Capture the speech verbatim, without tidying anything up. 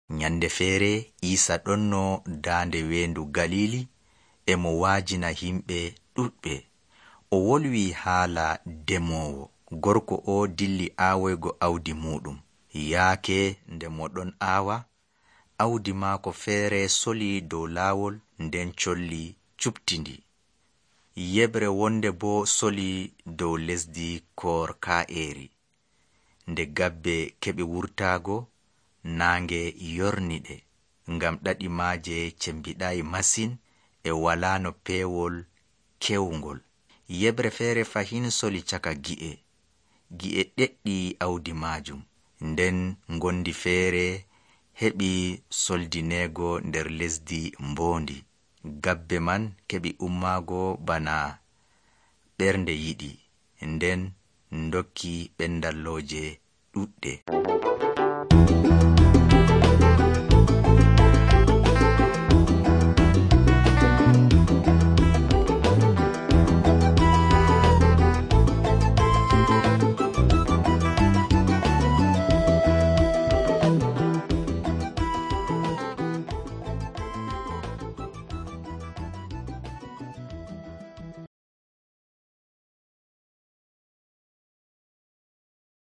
Nyande feere Iisa ɗonno daande weendu Galili e mo waajina himɓe ɗuɗɓe. O wolwi haala demoowo. Gorko o dilli aawoygo awdi muɗum. Yaake nde mo ɗon aawa, awdi maako feere soli dow laawol, nden colli cuɓtindi. Yebre wonde boo soli dow lesdi koor kaa'eeri. Nde gabbe keɓi wurtaago, naange yorni ɗe, ngam ɗaɗi maaje cembiɗaayi masin e walaano peewol kewngol. Yebre feere fahin soli caka gi'e. Gi'e ɗeɗɗi awdi maajum. Nden ngondi feere heɓi soldineego nder lesdi mboondi. Gabbe man keɓi ummaago bana ɓernde yiɗi, nden ndokki ɓendallooje ɗuɗɗe.